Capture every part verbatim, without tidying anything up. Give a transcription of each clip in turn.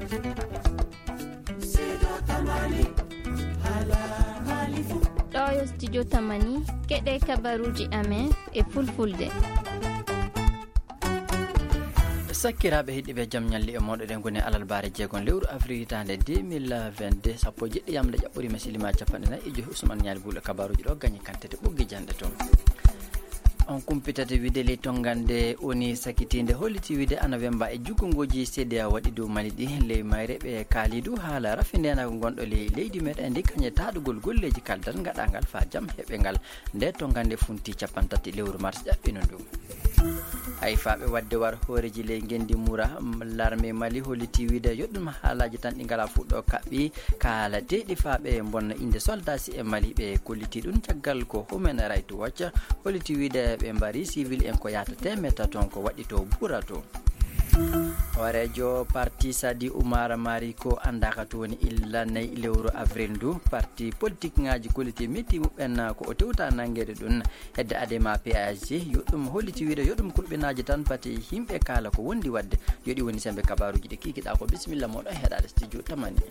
Ɗo yo studio Tamani, keɗe kabaruuji amen e fulfulde. Sakkiraaɓe heɗiiɓe, jam ñalli e mooɗon. Eɗen ngoni alarbaare jeegom lewru avril hitaande deux mille vingt-deux, sappo e jeɗɗi yamde ƴaɓɓoriima silima capanɗe nayi e joyi. Ousmane Ñaali Buulo, kabaruuji ɗo gañi kantete ɓoggi janɗe toon. On kumpitate wiide ley tonngande woni sakitiinde holliti wiide ana wemba e jukkongoji C D A O waɗi dow Mali ɗi. Ley mayre ɓe kaali du haala rafi ndeenaagu ngonɗo ley leydi meɗen ndi kañe taɗugol golleeji kaldal ngaɗangal faa jam heɓe ngal. Nde tonngande funti capanɗe tati lewru mars ƴaɓɓino ndu. Hay faaɓe waɗde war hooreeji ley ngenndi mura, m-, larme Mali holliti wiide yo ɗum haalaaji tan ɗi ngalaa fuɗɗo kaɓɓi kaalateeɗi faaɓe mbonna innde soldaasi e Mali. Ɓe kolliti ɗum caggal ko Human Rights Watch holliti wiide ɓe mbari civil en ko yahata teemedde toon ko waɗi to Bura to. Hooreejo parti Sadi Umar Mari ko anndaaka to woni illa nayi lewru avril ndu. Parti politik ŋaaji kolliti metti muɓɓen ko o tewta nanngeede ɗum. Hedde Adema P A S G yo ɗum holliti wiide yo ɗum kulɓinaaji tan pati yimɓe kaala ko wondi waɗde. Yo ɗi woni sembe kabaruuji ɗi kikiɗaa ko. Bisimilla mooɗon heɗaade studio Tamani.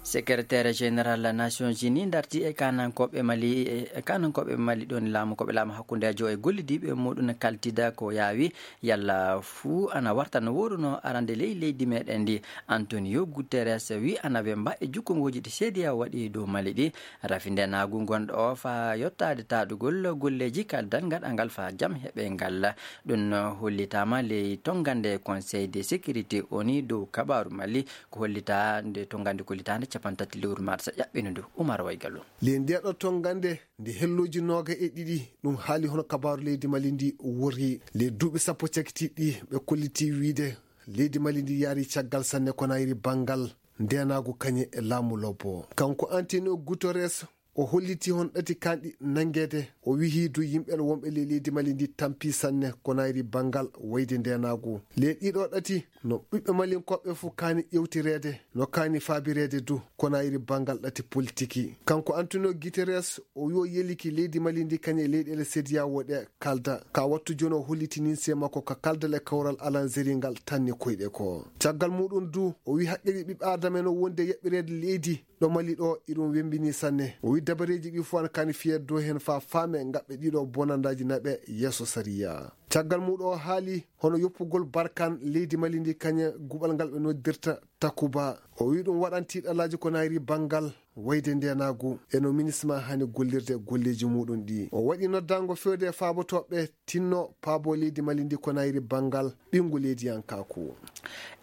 Secrétaire général Nations Unies darti e kanankooɓe Mali, e kanankooɓe Mali ɗon laamu, ko ɓe laamu hakkundeejo e gollidiiɓe muɗum kaltida ko yaawi yalla fuu ana warta no wooruno arande ley leydi meɗen ndi. Antonio Guterres wi ana wemba e jukkongooji ɗi C D A O waɗi dow Mali ɗi. Rafi ndenaagu ngonɗo o faa yottaade taɗugol golleeji kaldal ngaɗangal faa jam heɓe ngal. Ɗum hollitaama ley tonngande Conseil de sécurité O N U dow kabaaru Mali, ko hollitaa nde tonngande kollitaande capanɗe tati lewru mars ƴaɓɓino ndu. Umar Waygalu. Ley ndeeɗo tonngande nde hellooji nooga e ɗiɗi, ɗum haali hono kabaaru leydi Mali ndi worri. Ley duuɓi sappo cakitiiɗi ɓe kolliti wiide leydi Mali ndi yaari caggal sanne ko nayri banngal ndeenaagu kañe e laamu lobbo. Kanko Antonio Guterres, o holliti hon ɗati kanɗi nanngeede. O wihi du yimɓe wonɓe ley leydi Mali ndi tampi sanne ko nayri banngal wayde ndeenaagu. Ley ɗiɗo ɗati no ɓiɓɓe Malinkooɓe fof kaani ƴewtireede, no kaani faabireede du ko nayri banngal ɗati politiki. Kanko Antonio Guterres, o wi o yeliki leydi Mali ndi kañe leyɗeele C D A O ɗe kalda. Ka wattu jooni o holliti ninse makko ka kaldal e kawral alanzeri ngal tanni koyɗe ko. Caggal muɗum du, o wi haqqeeji ɓiɓɓe Aadama en o wonde yaɓɓireede leydi ɗo Mali ɗo, iɗum wembini sanne. O wi dabareeji ɗi fof ana kaani fiyeede dow heen faa faame ngaɓɓe ɗiɗo bonandaaji naɓe yeeso sariya. Caggal muɗum o haali hono yoppugol barkan leydi Mali ndi kañe guɓal ngal ɓe noddirta Takuba. O wi ɗum waɗan tiiɗalaaji ko nayri banngal wayde ndeenaagu e no minisma hani gollirde golleeji muɗum ɗi. O waɗi noddaango fewde e faabotooɓe tinno paabo leydi Mali ndi ko nayri banngal ɓinngu leydiyankaaku.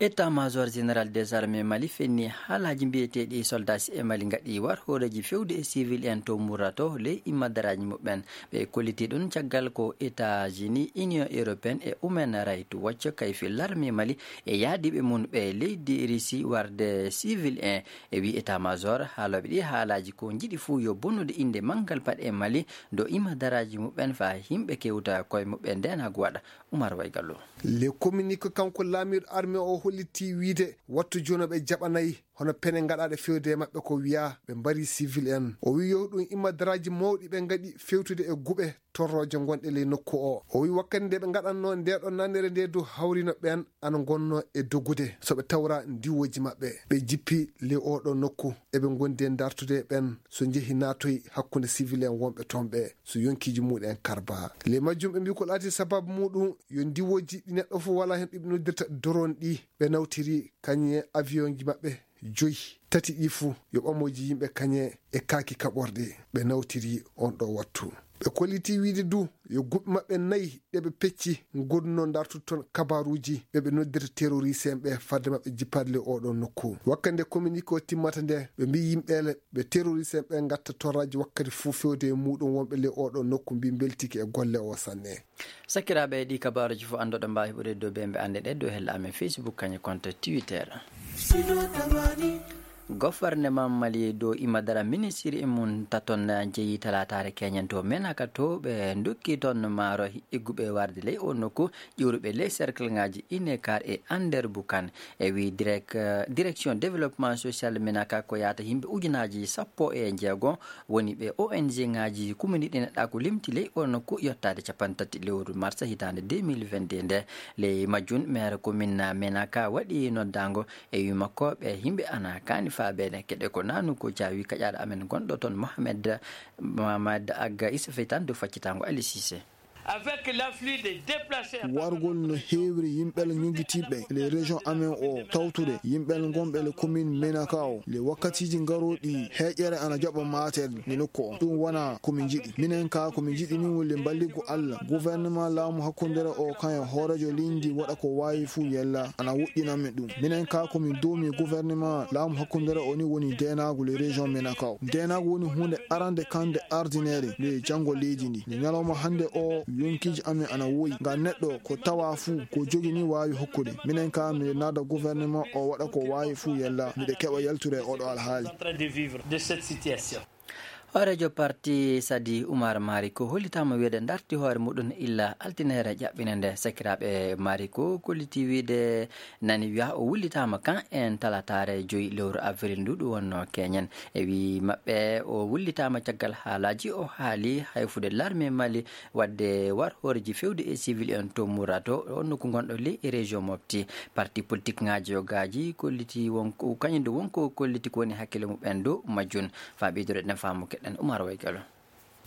État-major général des armées Mali fenni haalaaji mbiyeteeɗi soldaasi e Mali ngaɗi war hooreeji fewde e civil en to Murato ley immadaraaji muɓɓen. Ɓe kolliti ɗum caggal ko États-Unis, Union européenne e Human Rights Watch kayfi larme Mali e yaadiiɓe mum ɓe leydi Russie warde civil en. E wi état-major, haalooɓe ɗi haalaaji ko njiɗi fuu yo bonnude innde manngal paɗe Mali dow immadaraaji muɓɓen faa yimɓe kewta koye muɓɓen ndeenaagu waɗa. Umar Waygallo. Le communiqué kanko laamiiɗo armée o holliti wiide wattu jooni ɓe jaɓanay hono pene ngaɗaaɗe fewde e maɓɓe ko wiyaa ɓe mbari civil en. O wi yo ɗum immadaraaji mawɗi ɓe ngaɗi fewtude e guɓe torrooje ngonɗe ley nokku o. O wi wakkati nde ɓe ngaɗanno nde ɗo nanere nde dow hawrino ɓen ana ngonno e dogude so ɓe tawra ndiwooji maɓɓe. Ɓe jippi ley oɗo nokku eɓe ngondi e dartude ɓen so njehi naatoy hakkunde civil en wonɓe toon ɓe so yonkiiji muɗum en karba. Ley majjum ɓe mbi ko laati sababu muɗum yo ndiwooji ɗi neɗɗo fof wala heen ɗiɓe noddirta doron ɗi ɓe nawtiri kañe avion ji maɓɓe joyi, tati ɗi fuu yo ɓamooji yimɓe kañe e kaaki kaɓorɗe ɓe nawtiri on ɗo wattu. Ɓe kolliti wiide du yo guɓɓe maɓɓe nayi ɗe ɓe pecci ngonno dartude toon kabaruuji ɓe ɓe noddirta terroriste en ɓe fadde maɓɓe jippaade le oɗo nokku. Wakkati nde communiqué o timmata nde ɓe mbi yimɓeele ɓe terroriste en ɓe ngatta torraji wakkati fuu fewde e muɗum wonɓe le oɗo nokku mbi mbeltiki e golle o sanne. Sakiraaɓe, ɗi kabaaruuji fof anndoɗon mbaawi heɓude dow bembe annde ɗe dow hella amen Facebook kañe compte Twitter. Sino tamani, Goforneman Mali dow imadara ministiri mum taton jeyi talataare keñen to Menaka to ɓe ndokki toon maaro igguɓe warde ley o nokku ƴuuruɓe ley cercle ngaji Inekar e Ander Bukan. E wi direk-, direction développement social Menaka ko yaata yimɓe ujunaaji sappo e jeego woni ɓe O N G ngaji kumini ɗi neɗɗa ko limti ley o nokku yottaade capanɗe tati lewru mars hitaande deux mille vingt-deux nde. Ley majjun maire commune Menaka waɗi noddaango e wi makko ɓe yimɓe ana kaani faabeede keɗe ko nanu ko jaawi kaƴaaɗo amen gonɗo toon Mohamed Mamad Agga Issa Feytan dow faccitango Ali Cissé. Avec l'afflux des déplacés à Wargol no heewri yimɓel ñogitiiɓe le région amen o tawtude yimɓel gonɓe le commune Menaka o le wakkatiiji ngarooɗi heeƴere ana jaɓa maatel ni nokku o. Ɗum wona ko min njiɗi. Minen ka ko min njiɗi min woni le mballigu Allah. Gouvernement laamu hakkundere o kan e hooreejo leydi waɗa ko waawi fuu yella ana woɗɗina min ɗum. Minen ka ko min doomi gouvernement laamu hakkundere o ni woni deenaagu le région Menaka o. Deenaagu woni huunde arande kande ardineede le janngo leydi ndi. Nde ñalawma hannde o yonkiiji amen ana woyi. Ngam neɗɗo ko tawa fuu ko jogi ni waawi hokkude. Minen ka miɗe naada gouvernement o waɗa ko waawi fuu yella. Miɗe keɓa yaltude e oɗo alhaali. Hooreejo parti Sadi Umar Mariko hollitaama wiyeede darti hoore muɗum illa altine ere ƴaɓɓine nde. Sakiraaɓe Mariko kolliti wiide nani wiya o wullitaama kan en talataare joyi lewru avril ndu ɗum wonno keñen. E wi maɓɓe o wullitaama caggal haalaaji o haali hayfude larme Mali wadde war hooreji fewde e civil en to Murato on nokku gonɗo ley e région Mopti. Parti politique ngaji yo gaji kolliti wonko kañum nde wonko kolliti ko woni hakkille muɓɓen dow majjum. Faa ɓeydude ɗen faamu keɗen Umar Waygalo.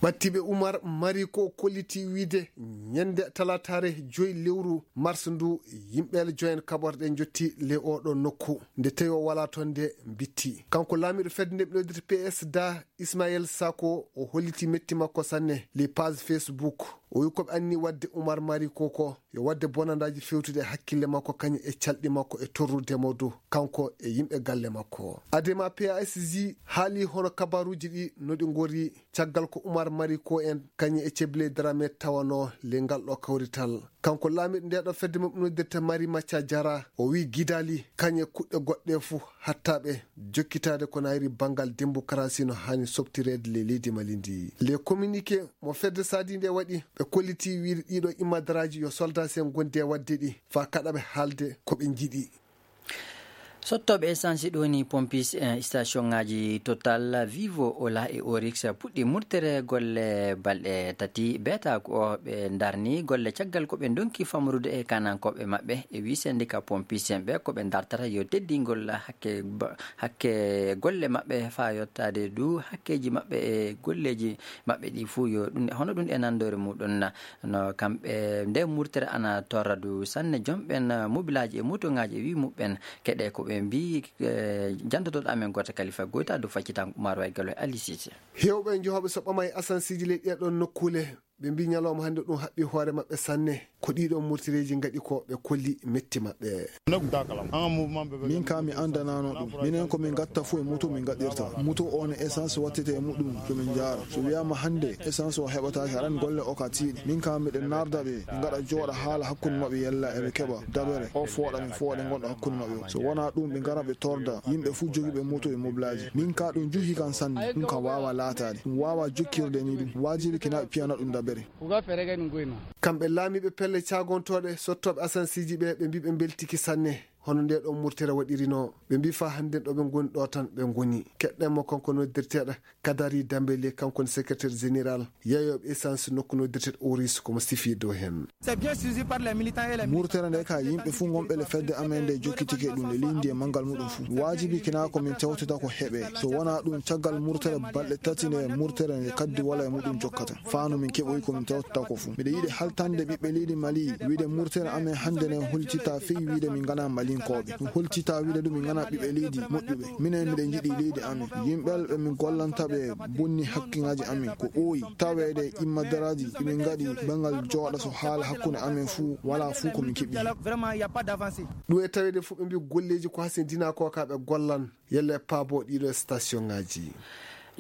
Ɓattiiɓe Umar Mari ko kolliti wiide ñande talataare joyi lewru mars ndu yimɓe joyen kaɓorɗe jotti le oɗo nokku nde tawi o wala toon nde bitti. Kanko laamiɗo fedde nde ɓe noddirta P S da Ismaël Sako o holliti metti makko sanne le page Facebook. O wi ko ɓe anni wadde Umar Mari ko ko yo wadde bonandaaji fewtude e hakkille makko kañum e calɗi makko e torrude mo dow kanko e yimɓe galle makko. Adema P A S J haali hono kabaruuji ɗi no ɗi ngori caggal ko Umar Mari ko en kañum e Ceble Dramé tawano le ngal ɗo kawrital. Kanko laamiɗo nde ɗo fedde mum noddirta Mari Macca Jara o wi gidali kañum e kuɗɗe goɗɗe fuu hattaɓe jokkitaade ko nayri banngal démocratie no haani soɓtireede le leydi Mali ndi. Le communiqué mo fedde Sadi nde waɗi ɓe kolliti wiide ɗiɗo imadaraaji yo soldat sen gondi e waɗde ɗi faa kaɗa ɓe haalde ko ɓe njiɗi. Sottooɓe essence ɗo ni pompis eh, station ngaji Total, Vivo, Ola e Orix puɗɗi murtere golle balɗe tati beeta ko ɓe darni golle caggal ko ɓe donki famrude e kanankooɓe maɓɓe e wi syndicat pompis en ɓe ko ɓe dartata yo teddingol hakke ba- hakke golle maɓɓe faa yottaade du hakkeeji maɓɓe e golleeji maɓɓe ɗi fuu yo ɗum hono ɗum e nanndore muɗum. No kamɓe nde murtere ana torra du sanne jomɓen mobilaaji e motongaaji e wi muɓɓen keɗe ko ɓe mbi eh, janndotoɗo amen gooto kalifa goyta du faccitan Umar Way Galo e Ali Cissé. Heewɓe e jehooɓe so ɓama e asansiiji ley ɗee ɗoon nokkuule ɓe mbi ñalawma hannde ɗum haɓɓi hoore maɓɓe sanne. Ko ɗiɗo murtireeji ngaɗi ko ɓe kolli metti maɓɓe. Min ka mi anndanaano ɗum. Minen ko min ngatta fof e muto min ngaɗirta. Muto o ne essence wattete e muɗum ɗo min njaara. So wiyaama hannde essence o heɓataake aran golle o ka tiiɗi. Min ka miɗen naarda ɓe, ɓe ngaɗa jooɗa haala hakkunde maɓɓe yalla eɓe keɓa dabere o fooɗa min fooɗe ngonɗo hakkunde maɓɓe o. So wonaa ɗum ɓe ngara ɓe torda yimɓe fof jogiiɓe muto e mobilaaji. Min ka ɗum juhi kan sanne. Ɗum ka waawa laataade. Ɗum waawa jokkirde ni ɗum. Waajibi kina ɓe piyana ɗum dabere. Kamɓe laamiiɓe pelle caagontooɗe sottooɓe asansiiji ɓe ɓe mbi ɓe mbeltiki sanne hono nde ɗo murtere waɗirino ɓe mbi faa hannden ɗo ɓe ngoni ɗo tan ɓe ngoni. Keɗɗen mo kanko noddirteeɗo Kadari Dambele kanko ne secrétaire général yeeyooɓe essence nokku noddirteeɗo Oris komo sifi dow heen. Murtere nde ka yimɓe fuu ngonɓe le fedde amen nde jokkitike ɗum le lindi e manngal muɗum fuu. Waajibi kina ko min tewtata ko heɓe. So wonaa ɗum caggal murtere balɗe tati nde murtere nde kaddi wala e muɗum jokkata. Faa no min keɓoyi ko min tewtata ko fuu. Miɗo yiɗi haltande ɓiɓɓe leydi Mali wiide murtere amen hannde nde holtita fii wiide min ngana Malinkooɓe. Ɗum holtita wiide ɗum min ngana ɓiɓɓe leydi moƴƴuɓe. Minen miɗen njiɗi leydi amen. Yimɓe ɓe min gollanta ɓe bonni hakkiŋaaji amen. Ko ɓooyi taweede immadaraaji ɗi min ngaɗi banngal jooɗa so haala hakkunde amen fuu walaa fuu ko min keɓi. Ɗum e taweede fuu ɓe mbi golleeji ko hasindinaa ko ka ɓe gollan. Yalla e paabo ɗiɗo station ngaji.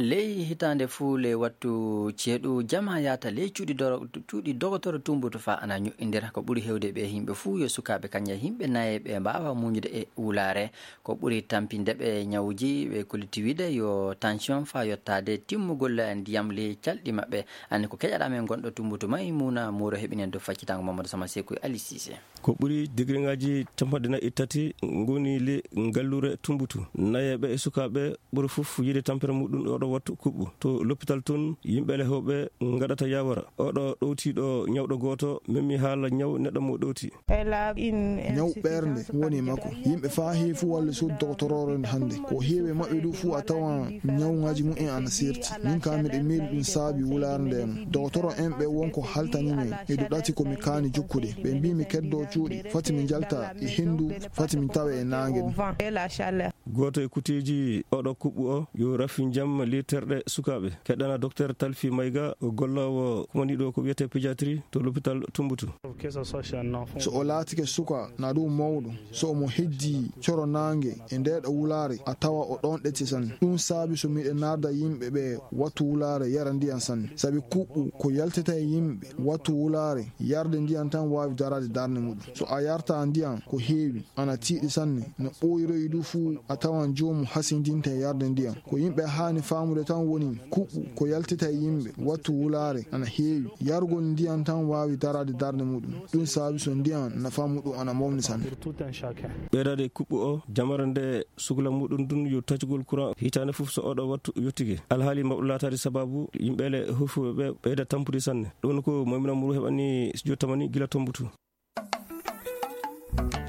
Ley hitaande fuu, ley wattu ceeɗu, jamaa yaata ley cuuɗi doro-, cuuɗi dogotoro tumbutu faa ana ño'indira. Ko ɓuri heewde ɓe yimɓe fuu yo sukaaɓe, kañum e yimɓe nayeeɓe mbaawa muuñude e wulaare. Ko ɓuri tampinde ɓe ñawuuji, ɓe kolliti wiide yo tension faa yottaade timmugol ndiyam ley calɗi maɓɓe. Anndi ko keƴaɗaa men gonɗo tumbutu Maymuna Mooro heɓinen dow faccitaango Mamadou Sama Seku e Ali Cissé. Ko ɓuri degré ŋaaji capanɗe nayi e tati ngoni le ngalluure Tumbutu. Nayeeɓe e sukaaɓe ɓuri fof yiide tampere muɗum oɗo wattu kuɓɓu. To l'hôpital toon, yimɓe le hewɓe ngaɗata yawara. Oɗo ɗowtiiɗo ñawɗo gooto memmi haala ñaw neɗɗo mo ɗowti. Ñaw ɓernde woni e makko. Yimɓe faa heewi fof walla suudu dogotoroore hannde. Ko heewi e maɓɓe du fof a tawan ñaw ŋaaji mumen ana seerti. Min ka miɗo miili ɗum saabi wulaare nde no. Dogotoro en ɓe won ko haltani men. E du ɗati ko mi kaani jokkude. Ɓe mbii mi keddo cuuɗi. Fati mi njalta e henndu. Fati mi tawe e naange ɗum. Gooto e kuteeji oɗo kuɓɓu o yo rafi njam literɗe sukaaɓe. Keɗɗana Docteur Talfi Mayga, o golloowo kumaniiɗo ko wiyetee pédiatrie to l'hôpital Tumbutu. So o laatike suka na ɗum mawɗo, so omo heddii coro naange e ndeeɗo wulaare, a tawa o ɗoon ɗecce sanne. Ɗum saabi so miɗe naada yimɓe ɓe wattu wulaare yara ndiyan sanne. Sabi kuɓɓu ko yaltata e yimɓe wattu wulaare, yarde ndiyan tan waawi daraade darnde muɗum. So a yarta ndiyan ko heewi, ana tiiɗi sanne, no ɓooyiroyi du fuu, a tawan joomu hasindinte yarde ndiyan. Ko yimɓe haani faamude tan woni kuɓɓu ko yaltita e yimɓe wattu wulaare ana heewi. Yargol ndiyan tan waawi daraade darnde muɗum. Ɗum saabi so ndiyan nafa muɗum ana mawni sanne. Ɓeydaade kuɓɓu o, jamare nde sukla muɗum ɗum yo taccugol courant hitaande fof so oɗo wattu yottike. Alhaali mawɗo laataade sababu yimɓe le hufuɓe ɓe ɓeyda tampude sanne. Ɗum ko Maymuna Mooro heɓani studio Tamani gila Tombutu.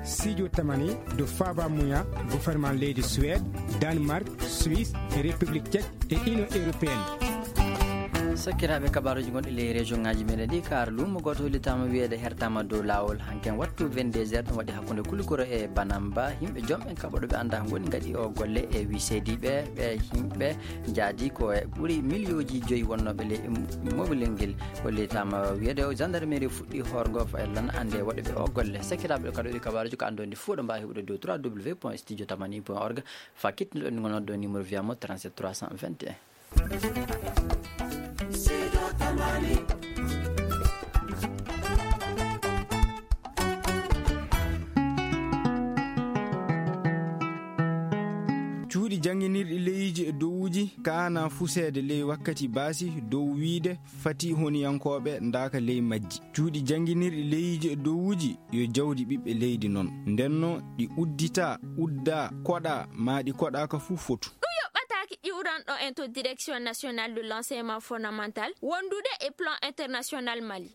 Studio Tamani do faaba muya gouvernement leydi Suède, Danemark, Suisse e République Tchèque e Union Européenne. Sakiraaɓe, kabaaruuji gonɗi ley région ŋaaji meɗen ɗi, kaar luumo gooto hollitaama wiyeede hertaama dow laawol hanken wattu vingt-deux heures, ɗum waɗi hakkunde Kulikoro e Banamba. Yimɓe joom ɓen kaɓoɗo ɓe anndaa ngoni ngaɗi o golle e wii seediiɓe ɓe yimɓe njaadi ko e ɓuri miliyooji joyi wonnooɓe ley mobilel ngel. Hollitaama wiyeede o gendarmerie fuɗɗi hoorgo faylan annde waɗuɓe o golle. Sakiraaɓe, kadi ɗi kabaaruuji ko anndondi fuu ɗo mbaawi heɓude dow trois W point studio tamani point org. Fa kitniɗo ɗon ngonnoɗo numéro via mo trente-sept trois cent vingt et un. Cuuɗi jannginirɗi leyiiji e dowuuji kaana fuseede ley wakkati baasi dow wiide fati honiyankooɓe ndaaka ley majji. Cuuɗi jannginirɗi leyiiji e dowuuji yo jawdi ɓiɓɓe leydi non. Ndenno ɗi udditaa, uddaa, koɗaa, maa ɗi koɗaaka fuu fotu. Ɗum yoɓɓataaki ƴiwranɗo en to Direction Nationale de l'Enseignement Fondamental wondude e Plan International Mali.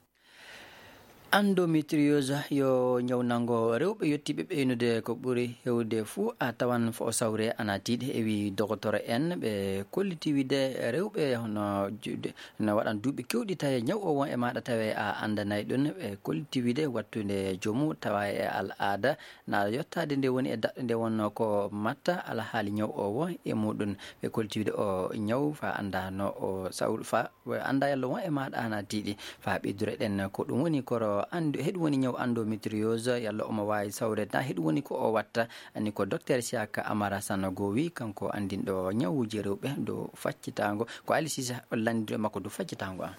Endométriose yo ñaw nanngo rewɓe yottiiɓe ɓeynude. Ko ɓuri heewde fuu a tawan fo o sawre ana tiiɗi, ewi dogotoro en ɓe kolliti wiide rewɓe hono juuɗe no waɗan duuɓi keewɗi tawi ñaw o won e maaɗa tawi a anndanay ɗum. Ɓe kolliti wiide wattude joomu tawa e al aada na yottaade nde woni e daɗɗo nde wonno ko matta alhaali ñaw o won e muɗum. Ɓe kolliti wiide o ñaw fa annda no o sawru fa annda yalla won e maaɗa ana tiiɗi. Fa ɓeydure ɗen ko ɗum woni koro anndu heɗum woni ñaw endométriose yalla omo waawi sawreede na heɗum woni ko o watta. Ani ko Docteur Siaka Amara Sanogo wi kanko anndinɗo ñawuuji rewɓe dow faccitaango. Ko Ali Sisa o lanndiɗo makko dow faccitaango an.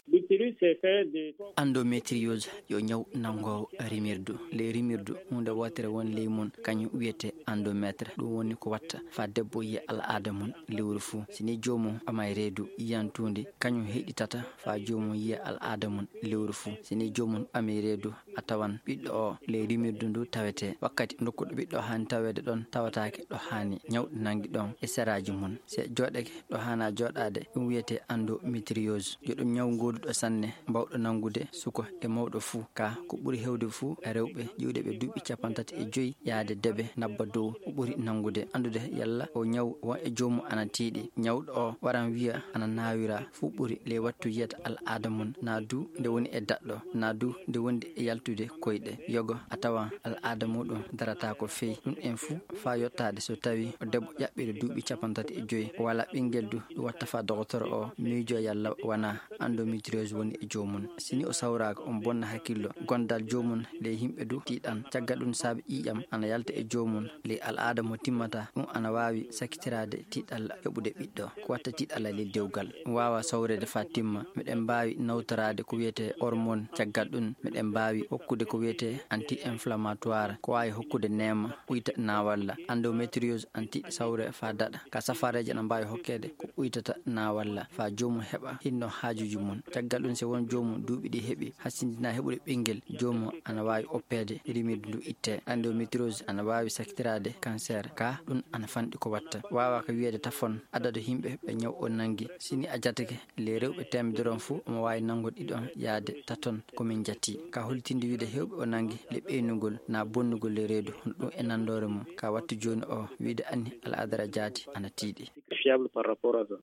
Endométriose yo ñaw nanngo rimirdu. Ley rimirdu huunde wootere won ley mum kañum wiyete endométre. Ɗum woni ko watta fa debbo yiya al aada mum lewru fuu. Si ni joomum ɓamay reedu yiyan tuundi, kañum heɗitata fa joomum yiya al aada mum lewru fuu. Si ni joomum ɓamay reedu, a tawan ɓiɗɗo o ley rimirdu ndu tawete. Wakkati ndokkuɗo ɓiɗɗo haani taweede ɗon tawataake ɗo haani. Ñaw ɗo nanngi ɗon e seraaji mum. Si jooɗake ɗo haana jooɗaade, ɗum wiyete endométriose. Yo ɗum ñaw gooduɗo sanne, mbawɗo nanngude suka e mawɗo fuu. Ka ko ɓuri heewde fuu e rewɓe ƴiwde ɓe duuɓi cappanɗe tati e joy yaade debe nabba dow o ɓuri nanngude. Anndude yalla o ñaw won e joomum ana tiiɗi. Ñawɗo o waran wiya ana naawira fuu ɓuri ley wattu yiyata al aada mum, na du nde woni e daɗɗo, na du nde wondi e yaltu ɓeydude koyɗe. Yogo a tawa al'aada muɗum darata ko feyi ɗum en fuu, faa yottaade so tawi o debbo ƴaɓɓiiɗo duuɓi cappanɗe tati e joy, o walaa ɓinngel du, ɗum watta faa dokotoro o miijo yalla wanaa endométriose woni e joomum. Si ni o sawraaka, on bonna hakkillo. Gondal joomum ley yimɓe du tiiɗan. Caggal ɗum saabe ƴiiƴam ana yalta e joomum ley al'aada mo timmata, ɗum ana waawi sakkitiraade tiiɗalla heɓude ɓiɗɗo. Ko watta tiiɗalla ley dewgal. Ɗum waawaa sawreede faa timma. Miɗen mbaawi nawtoraade ko wiyetee hormone. Caggal ɗum, miɗen mbaawi hokkude ko wiyetee anti-inflammatoire. Ko waawi hokkude neema, uyta naawalla. Endométriose ana tiiɗi sawre faa daɗa. Ka safaareeji ana mbaawi hokkeede ko uytata naawalla faa joomum heɓa hinno haajuuji mum. Caggal ɗum, si won joomum duuɓi ɗi heɓi hasindinaa heɓude ɓinngel, joomum ana waawi oppeede rimirdu ndu ittee. Endométriose ana waawi sakkitiraade kanseer. Ka ɗum ana fanɗi ko watta. Waawaa ka wiyeede tafon adadu yimɓe ɓe ñaw o nanngi. Si ni a jatake ley rewɓe teemedere on fuu, omo waawi nanngude ɗiɗon yaade taton ko min jati. Ka holtinde wiide heewɓe o nanngi le ɓeynugol naa bonnugol le reedu, hono ɗum e nanndoore mum. Ka wattu jooni o wiide Anni Al'aadara Jaati ana tiiɗi. Fiable par rapport à ça.